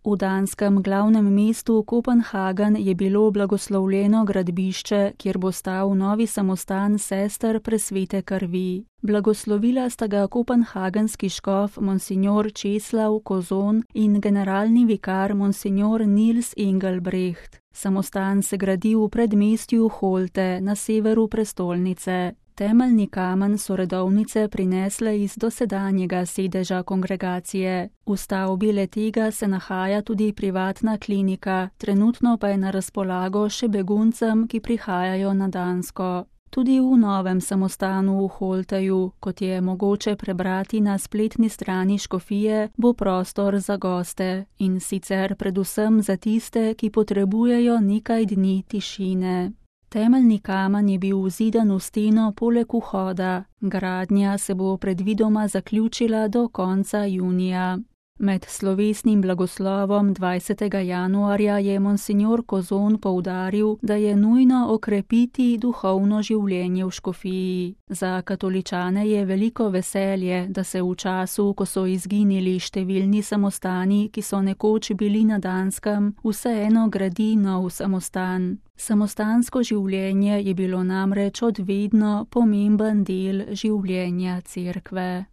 V danskem glavnem mestu Kopenhagen je bilo blagoslovljeno gradbišče, kjer bo stal novi samostan sester presvete krvi. Blagoslovila sta ga kopenhagenski škof monsignor Česlav Kozon in generalni vikar monsignor Nils Engelbrecht. Samostan se gradi v predmestju Holte na severu prestolnice. Temeljni kamen so redovnice prinesle iz dosedanjega sedeža kongregacije. V stavbi le-tega se nahaja tudi privatna klinika, trenutno pa je na razpolago še beguncem, ki prihajajo na Dansko. Tudi v novem samostanu v Holteju, kot je mogoče prebrati na spletni strani škofije, bo prostor za goste in sicer predvsem za tiste, ki potrebujejo nekaj dni tišine. Temeljni kamen je bil vzidan v steno poleg vhoda. Gradnja se bo predvidoma zaključila do konca junija. Med slovesnim blagoslovom 20. januarja je monsignor Kozon poudaril, da je nujno okrepiti duhovno življenje v škofiji. Za katoličane je veliko veselje, da se v času, ko so izginili številni samostani, ki so nekoč bili na Danskem, vseeno gradi nov samostan. Samostansko življenje je bilo namreč od vedno pomemben del življenja cerkve.